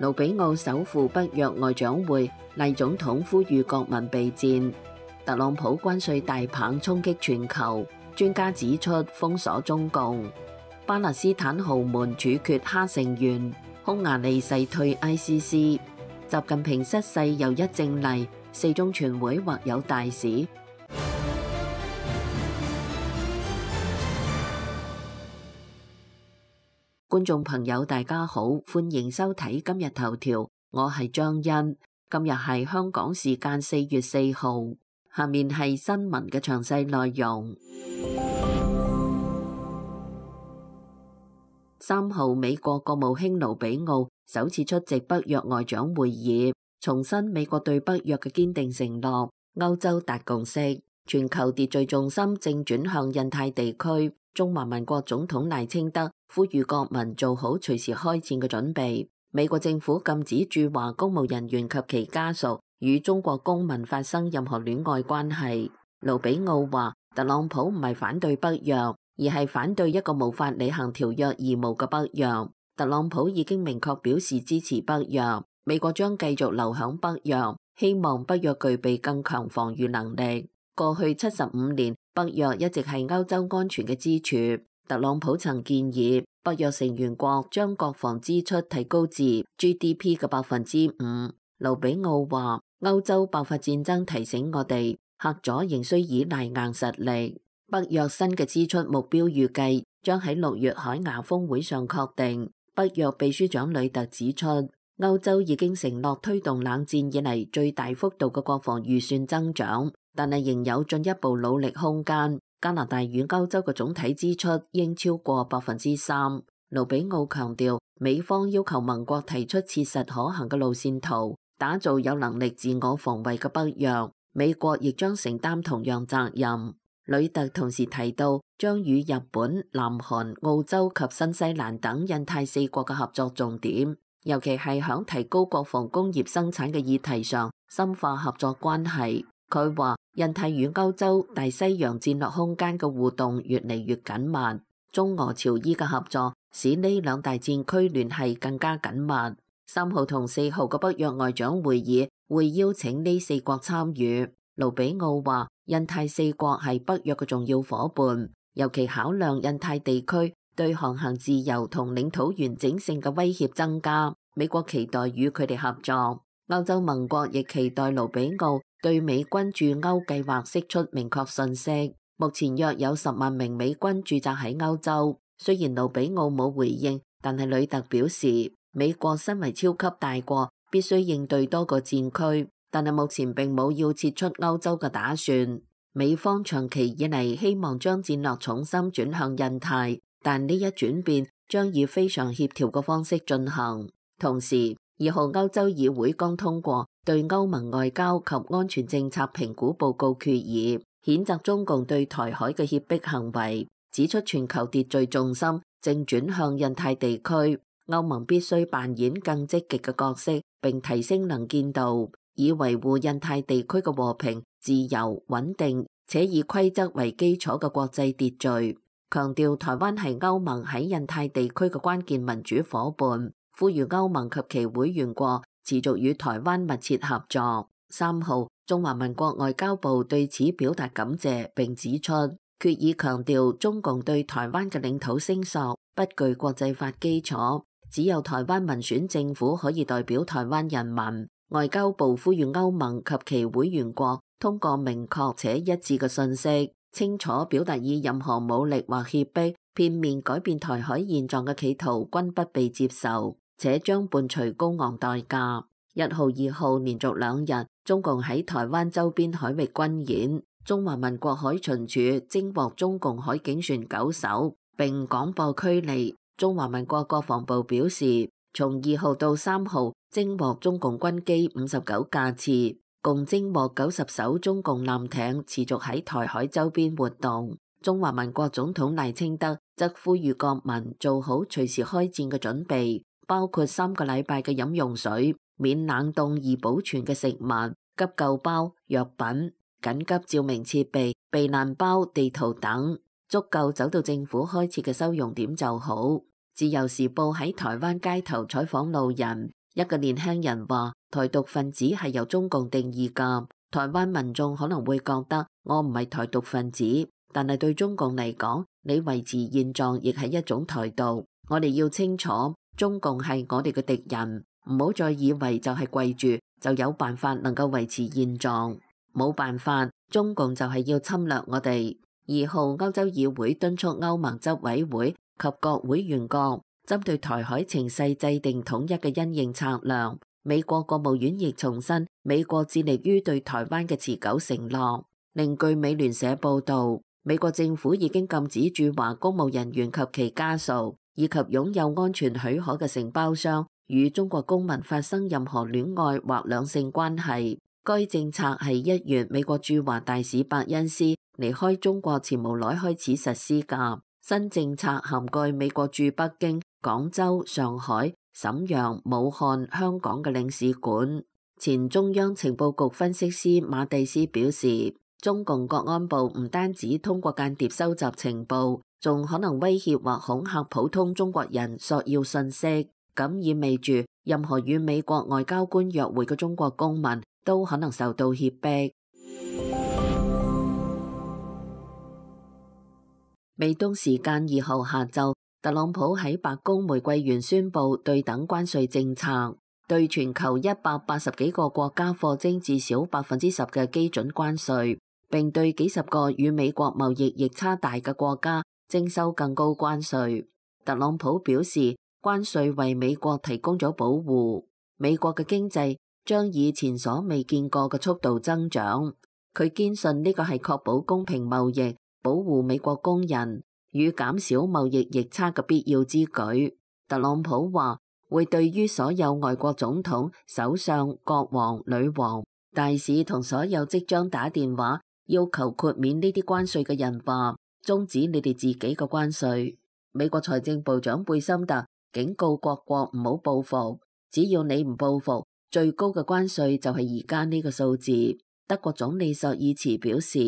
盧比奧首赴北約外長會，黎總統呼籲國民備戰。特朗普關稅大棒衝擊全球，專家指出封鎖中共。巴勒斯坦豪門處決哈成員，匈牙利誓退 ICC。習近平失勢又一正例，四中全會或有大事。觀眾朋友大家好，歡迎收睇今日頭條，我係張欣。今日係香港時間4月4號，下面係新聞嘅詳細內容。3號，美國國務卿盧比奧首次出席北約外長會議，重申美國對北約嘅堅定承諾。歐洲達共識，全球秩序重心正轉向印太地區。中華民國總統賴清德呼籲國民做好隨時開戰嘅準備。美國政府禁止駐華公務人員及其家屬與中國公民發生任何戀愛關係。盧比奧話，特朗普唔係反對北約，而係反對一個無法履行條約義務嘅北約。特朗普已經明確表示支持北約，美國將繼續留響北約，希望北約具備更強防禦能力。過去75年，北約一直係歐洲安全嘅支柱。特朗普曾建議北約成員國將國防支出提高至 GDP 嘅5%。盧比奧話，歐洲爆發戰爭提醒我哋，嚇阻仍需依賴硬實力。北約新嘅支出目標預計將喺6月海牙峰會上確定。北約秘書長呂特指出，歐洲已經承諾推動冷戰以嚟最大幅度嘅國防預算增長，但係仍有進一步努力空間。加拿大與歐洲嘅總體支出應超過3%。盧比奧強調，美方要求盟國提出切實可行嘅路線圖，打造有能力自我防衛嘅北約。美國亦將承擔同樣責任。呂特同時提到，將與日本、南韓、澳洲及新西蘭等印太4國嘅合作重點，尤其係響提高國防工業生產嘅議題上深化合作關係。佢話，印太與歐洲、大西洋戰略空間嘅互動越嚟越緊密，中俄朝伊嘅合作使呢兩大戰區聯繫更加緊密。3號同4號嘅北約外長會議會邀請呢4國參與。盧比奧話，印太4國係北約嘅重要夥伴，尤其考量印太地區對航行自由同領土完整性嘅威脅增加，美國期待與佢哋合作。歐洲盟國亦期待盧比奧對美軍駐歐計劃釋出明確信息。目前約有10萬名美軍駐紮喺歐洲。雖然盧比奧冇回應，但係呂特表示，美國身為超級大國，必須應對多個戰區，但係目前並冇要撤出歐洲嘅打算。美方長期以嚟希望將戰略重心轉向印太，但呢一轉變將以非常協調嘅方式進行。同時，2號歐洲議會剛通過對歐盟外交及安全政策評估報告決議，譴責中共對台海嘅脅迫行為，指出全球秩序重心正轉向印太地區，歐盟必須扮演更積極嘅角色，並提升能見度，以維護印太地區嘅和平、自由、穩定，且以規則為基礎嘅國際秩序。強調台灣係歐盟喺印太地區嘅關鍵民主夥伴，呼籲歐盟及其會員國持續與台灣密切合作。3號，中華民國外交部對此表達感謝，並指出決議強調中共對台灣嘅領土聲索不具國際法基礎，只有台灣民選政府可以代表台灣人民。外交部呼籲歐盟及其會員國通過明確且一致嘅信息，清楚表達以任何武力或脅迫、片面改變台海現狀嘅企圖均不被接受，且將伴隨高昂代價。1號、2號連續2日，中共喺台灣周邊海域軍演，中華民國海巡署偵獲中共海警船9艘，並廣播驅離。中華民國國防部表示，從2號到3號偵獲中共軍機59架次，共偵獲90艘中共艦艇持續喺台海周邊活動。中華民國總統賴清德則呼籲國民做好隨時開戰嘅準備，包括3個禮拜嘅飲用水、免冷凍易保存嘅食物、急救包、藥品、緊急照明設備、避難包、地圖等，足夠走到政府開設嘅收容點就好。自由時報喺台灣街頭採訪路人，一個年輕人話：台獨分子係由中共定義㗎。台灣民眾可能會覺得我唔係台獨分子，但係對中共嚟講，你維持現狀亦係一種台獨。我哋要清楚，中共係我哋嘅敵人，唔好再以為就係跪住就有辦法能夠維持現狀，冇辦法，中共就係要侵略我哋。2號歐洲議會敦促歐盟執委會及各會員國針對台海情勢制定統一嘅因應策略。美國國務院亦重申美國致力於對台灣嘅持久承諾。另據美聯社報導，美國政府已經禁止駐華公務人員及其家屬以及擁有安全許可嘅承包商與中國公民發生任何戀愛或兩性關係。該政策係1月美國駐華大使伯恩斯離開中國前無耐開始實施㗎。新政策涵蓋美國駐北京、廣州、上海、瀋陽、武漢、香港嘅領事館。前中央情報局分析師馬蒂斯表示，中共國安部唔單止通過間諜收集情報，仲可能威脅或恐嚇普通中國人索要信息，咁意味住任何與美國外交官約會嘅中國公民都可能受到脅迫。美東時間2號下晝，特朗普喺白宮玫瑰園宣布對等關稅政策，對全球180幾個國家課徵至少10%嘅基準關稅，並對幾十個與美國貿易逆差大嘅國家徵收更高關稅。特朗普表示，關稅為美國提供咗保護，美國嘅經濟將以前所未見過嘅速度增長。佢堅信呢個係確保公平貿易、保護美國工人與減少貿易逆差嘅必要之舉。特朗普話會對於所有外國總統、首相、國王、女王、大使同所有即將打電話要求豁免呢啲關稅嘅人話，終止你哋自己嘅關稅。美國財政部長貝森特警告各國唔好報復，只要你唔報復，最高嘅關稅就係而家呢個數字。德國總理朔爾茨表示，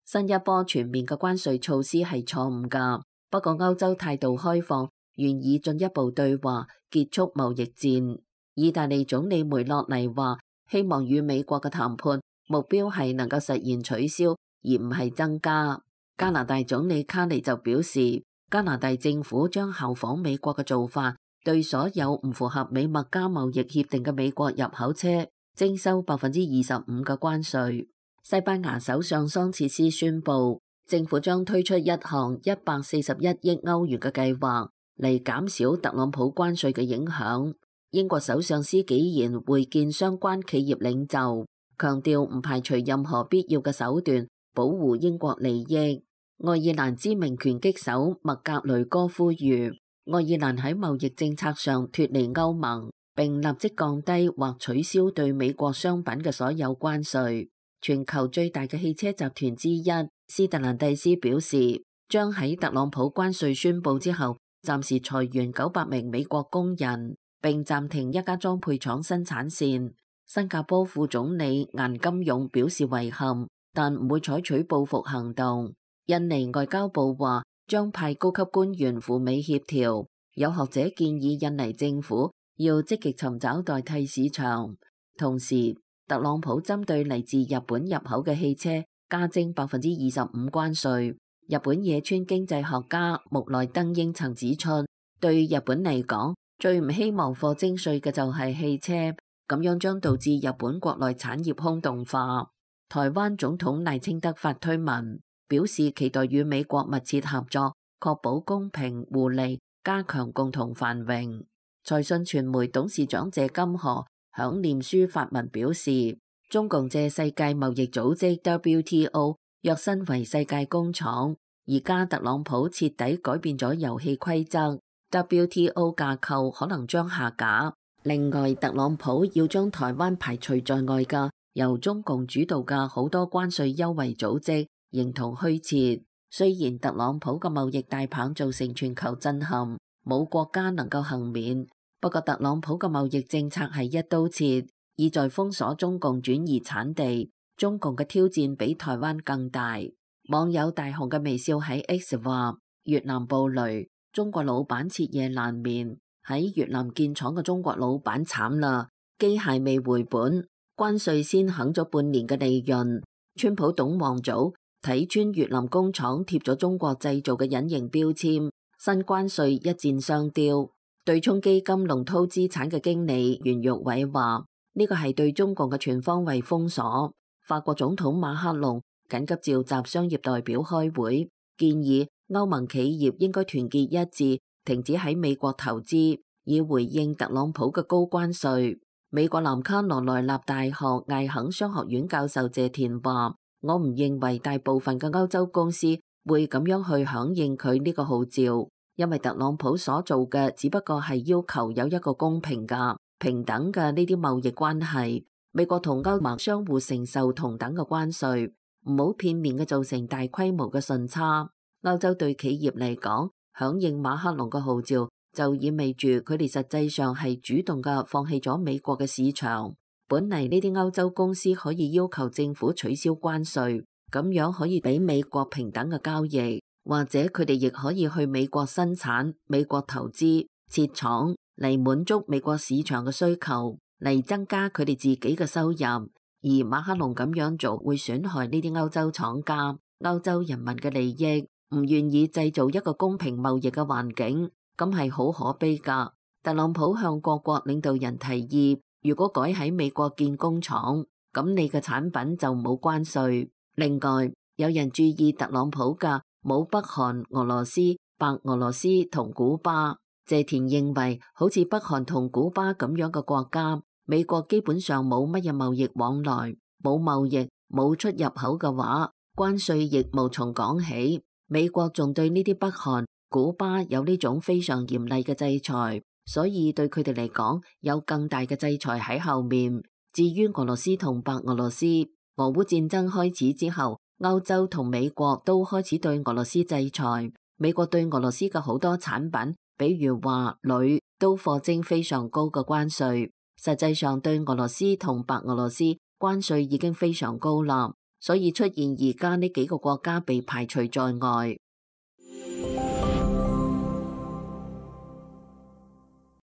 新一波全面嘅關稅措施係錯誤㗎，不過歐洲態度開放，願意進一步對話，結束貿易戰。意大利總理梅洛尼話，希望與美國嘅談判目標係能夠實現取消，而唔係增加。加拿大總理卡尼就表示，加拿大政府將效仿美國嘅做法，對所有唔符合美墨加貿易協定嘅美國入口車徵收25%嘅關稅。西班牙首相桑切斯宣布，政府將推出一項141億歐元嘅計劃嚟減少特朗普關稅嘅影響。英國首相施紀賢會見相關企業領袖，強調唔排除任何必要嘅手段保護英國利益。愛爾蘭知名拳擊手麥格雷哥呼籲愛爾蘭喺貿易政策上脫離歐盟，並立即降低或取消對美國商品嘅所有關稅。全球最大嘅汽車集團之一斯特蘭蒂斯表示，將喺特朗普關稅宣布之後暫時裁員900名美國工人，並暫停一家裝配廠生產線。新加坡副總理顏金勇表示遺憾，但唔會採取報復行動。印尼外交部話將派高級官員赴美協調。有學者建議印尼政府要積極尋找代替市場。同時，特朗普針對嚟自日本入口嘅汽車加徵25%關稅。日本野村經濟學家木內登英曾指出，對日本嚟講，最唔希望課徵稅嘅就係汽車，咁樣將導致日本國內產業空洞化。台灣總統賴清德發推文表示，期待與美國密切合作，確保公平互利，加強共同繁榮。財訊傳媒董事長謝金河響臉書發文表示，中共借世界貿易組織 WTO 躍身為世界工廠，而家特朗普徹底改變咗遊戲規則， WTO 架構可能將下架。另外，特朗普要將台灣排除在外嘅由中共主導嘅好多關稅優惠組織形同虛設。雖然特朗普嘅貿易大棒造成全球震撼，冇國家能夠幸免。不過特朗普嘅貿易政策係一刀切，意在封鎖中共轉移產地。中共嘅挑戰比台灣更大。網友大雄嘅微笑喺 X 話：越南暴雷，中國老闆徹夜難眠。喺越南建廠嘅中國老闆慘啦，機械未回本，關稅先肯咗半年嘅利潤。川普董王組睇穿越南工廠貼咗中國製造嘅隱形標籤，新關稅一箭雙雕。對沖基金龍韜資產嘅經理袁玉偉話：呢個係對中國嘅全方位封鎖。法國總統馬克龍緊急召集商業代表開會，建議歐盟企業應該團結一致，停止喺美國投資，以回應特朗普嘅高關稅。美國南卡羅來納大學艾肯商學院教授謝田話：我唔認為大部分嘅歐洲公司會咁樣去響應佢呢個號召，因為特朗普所做嘅只不過係要求有一個公平嘅、平等嘅呢啲貿易關係。美國同歐盟相互承受同等嘅關稅，唔好片面嘅造成大規模嘅順差。歐洲對企業嚟講，響應馬克龍嘅號召，就意味住佢哋實際上係主動嘅放棄咗美國嘅市場。本嚟呢啲歐洲公司可以要求政府取消關稅，咁樣可以俾美國平等嘅交易，或者佢哋亦可以去美國生產、美國投資、設廠嚟滿足美國市場嘅需求，嚟增加佢哋自己嘅收入。而馬克龍咁樣做會損害呢啲歐洲廠家、歐洲人民嘅利益，唔願意製造一個公平貿易嘅環境，咁係好可悲噶。特朗普向各國領導人提議，如果改喺美國建工廠，咁你嘅產品就冇關稅。另外，有人注意特朗普嘅冇北韓、俄羅斯、白俄羅斯同古巴。謝田認為，好似北韓同古巴咁樣嘅國家，美國基本上冇乜嘢貿易往來，冇貿易、冇出入口嘅話，關稅亦無從講起。美國仲對呢啲北韓、古巴有呢種非常嚴厲嘅制裁，所以對佢哋嚟講有更大嘅制裁喺後面。至於俄羅斯同白俄羅斯，俄烏戰爭開始之後，歐洲同美國都開始對俄羅斯制裁。美國對俄羅斯嘅好多產品，比如話鋁，都課徵非常高嘅關稅。實際上對俄羅斯同白俄羅斯關稅已經非常高啦，所以出現而家呢幾個國家被排除在外。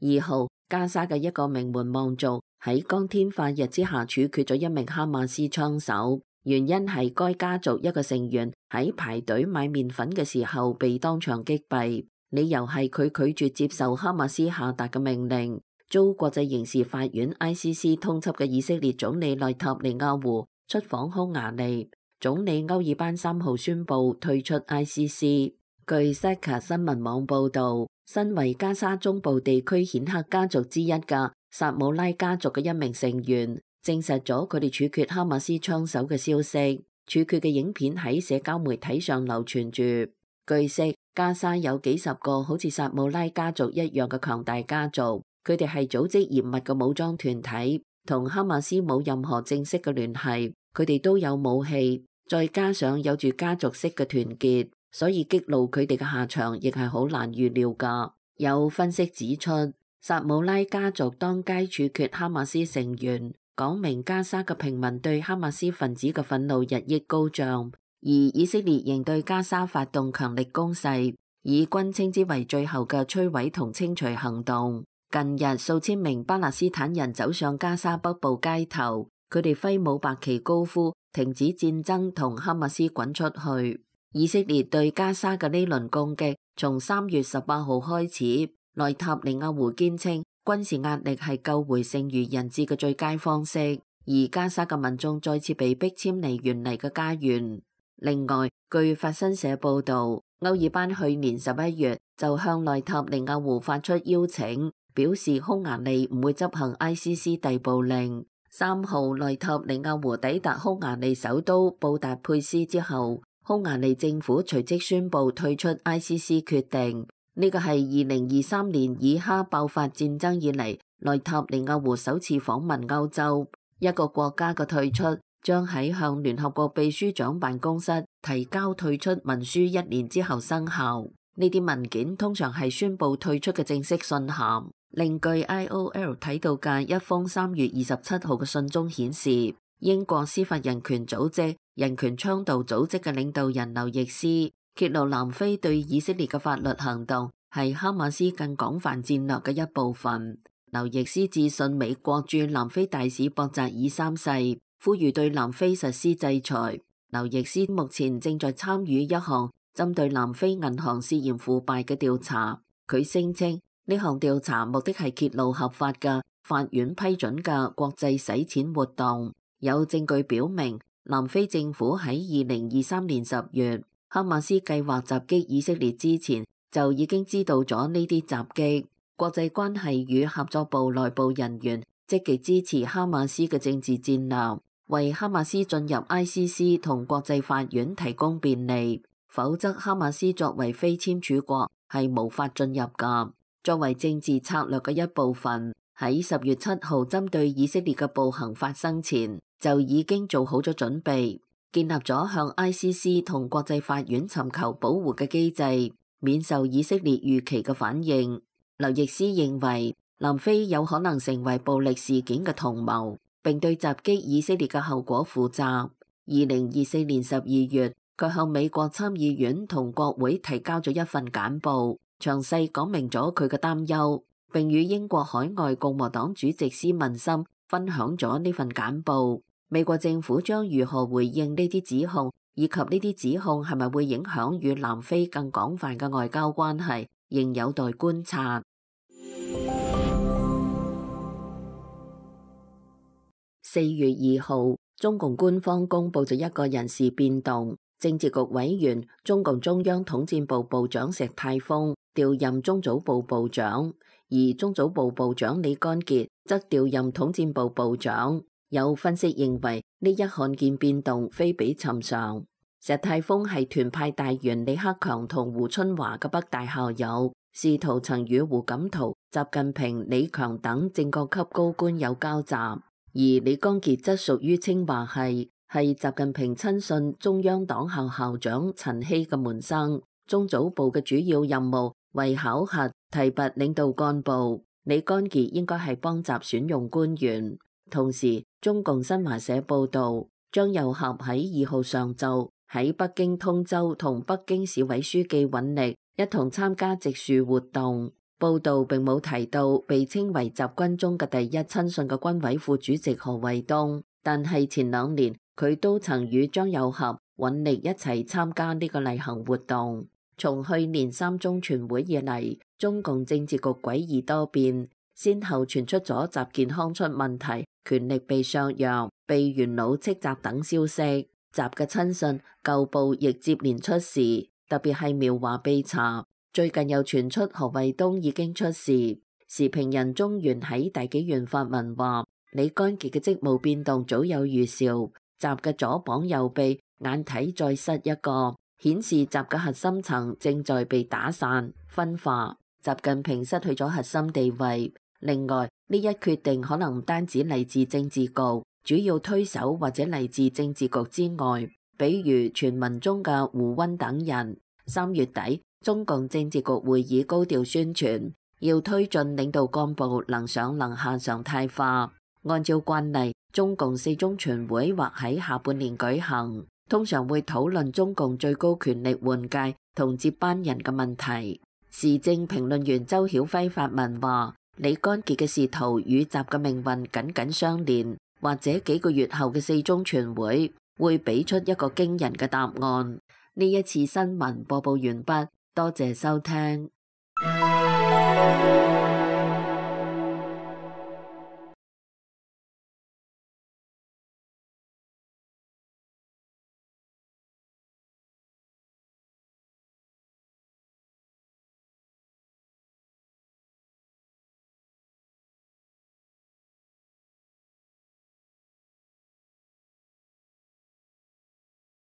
2號，加沙嘅一個名門望族喺光天化日之下處決咗一名哈馬斯槍手，原因係該家族一個成員喺排隊買麵粉嘅時候被當場擊斃，理由係佢拒絕接受哈馬斯下達嘅命令。遭國際刑事法院 ICC 通緝嘅以色列總理內塔尼亞胡出訪匈牙利，總理歐爾班3號宣布退出 ICC。據 Seka 新聞網報導，身為加沙中部地區顯赫家族之一嘅薩姆拉家族嘅一名成員，證實咗佢哋處決哈馬斯槍手嘅消息。處決嘅影片喺社交媒體上流傳住。據悉，加沙有幾十個好似薩姆拉家族一樣嘅強大家族。佢哋係組織嚴密嘅武裝團體，同哈馬斯冇任何正式嘅聯繫。佢哋都有武器，再加上有住家族式嘅團結，所以激怒佢哋嘅下場亦係好難預料㗎。有分析指出，薩姆拉家族當街處決哈馬斯成員，講明加沙嘅平民對哈馬斯分子嘅憤怒日益高漲，而以色列仍對加沙發動強力攻勢，以軍稱之為最後嘅摧毀同清除行動。近日數千名巴勒斯坦人走上加沙北部街頭，佢哋揮舞白旗高呼停止戰爭同哈馬斯滾出去。以色列對加沙嘅呢輪攻擊從3月18號開始，內塔尼亞胡堅稱軍事壓力係救回剩餘人質嘅最佳方式，而加沙嘅民眾再次被迫遷離原嚟嘅家園。另外，據法新社報導，歐爾班去年11月就向內塔尼亞胡發出邀請，表示匈牙利唔會執行 ICC 逮捕令。3號內塔尼亞胡抵達匈牙利首都布達佩斯之後，匈牙利政府隨即宣布退出 ICC 決定。呢個係2023年以哈爆發戰爭以嚟，內塔尼亞胡首次訪問歐洲。一個國家嘅退出將喺向聯合國秘書長辦公室提交退出文書1年之後生效。呢啲文件通常係宣布退出嘅正式信函。另據 IOL 睇到嘅一封3月27號嘅信中顯示，英國司法人權組織人權倡導組織嘅領導人劉易斯揭露南非對以色列嘅法律行動係哈馬斯更廣泛戰略嘅一部分。劉易斯致信美國駐南非大使博扎爾三世，呼籲對南非實施制裁。劉易斯目前正在參與一項針對南非銀行涉嫌腐敗嘅調查。佢聲稱呢項調查目的係揭露合法嘅法院批准嘅國際洗錢活動。有證據表明，南非政府喺2023年10月，哈馬斯計劃襲擊以色列之前，就已經知道咗呢啲襲擊。國際關係與合作部內部人員積極支持哈馬斯嘅政治戰略，為哈馬斯進入 ICC 同國際法院提供便利，否則哈馬斯作為非簽署國係無法進入㗎。作為政治策略嘅一部分，喺10月7號針對以色列嘅暴行發生前，就已經做好咗準備，建立咗向 ICC 同國際法院尋求保護嘅機制，免受以色列預期嘅反應。劉易斯認為南非有可能成為暴力事件嘅同謀，並對襲擊以色列嘅後果負責。2024年12月，佢向美國參議院同國會提交咗一份簡報，詳細講明咗佢嘅擔憂，並與英國海外共和黨主席斯文森分享咗呢份簡報。美國政府將如何回應呢啲指控，以及呢啲指控係咪會影響與南非更廣泛嘅外交關係，仍有待觀察。4月2號，中共官方公布咗一個人事變動，政治局委員、中共中央統戰部部長石泰峰調任中組部部長，而中組部部長李乾傑則調任統戰部部長。有分析認為呢一罕見變動非比尋常。石泰峰係團派大員李克強同胡春華嘅北大校友，仕途曾與胡錦濤、習近平、李強等正國級高官有交集。而李乾傑則屬於清華系，係習近平親信中央黨校校長陳希嘅門生。中組部嘅主要任務為考核、提拔領導幹部，李乾傑應該係幫習選用官員。同時，中共新華社報道，張又俠喺2號上晝喺北京通州同北京市委書記尹力一同參加植樹活動。報道並冇提到被稱為習軍中嘅第一親信嘅軍委副主席何衛東，但係前2年佢都曾與張又俠、尹力一齊參加呢個例行活動。從去年3中全會以嚟，中共政治局詭異多變，先後傳出咗習健康出問題、權力被削弱、被元老斥責等消息。習嘅親信舊部亦接連出事，特別係苗華被查。最近又傳出何衛東已經出事。時評人中原喺大紀元發文話，李乾傑嘅職務變動早有預兆，習嘅左膀右臂眼睇再失一個，顯示習嘅核心層正在被打散分化，習近平失去咗核心地位。另外，呢一決定可能唔單止嚟自政治局，主要推手或者嚟自政治局之外，比如傳聞中嘅胡溫等人。3月底，中共政治局會議高調宣傳，要推進領導幹部能上能下常態化。按照慣例，中共4中全會或喺下半年舉行，通常會討論中共最高權力換屆同接班人嘅問題。時政評論員周曉輝發文話，李乾傑嘅仕途與習嘅命運緊緊相連，或者幾個月後嘅4中全會會俾出一個驚人嘅答案。呢一次新聞播報完畢，多謝收聽。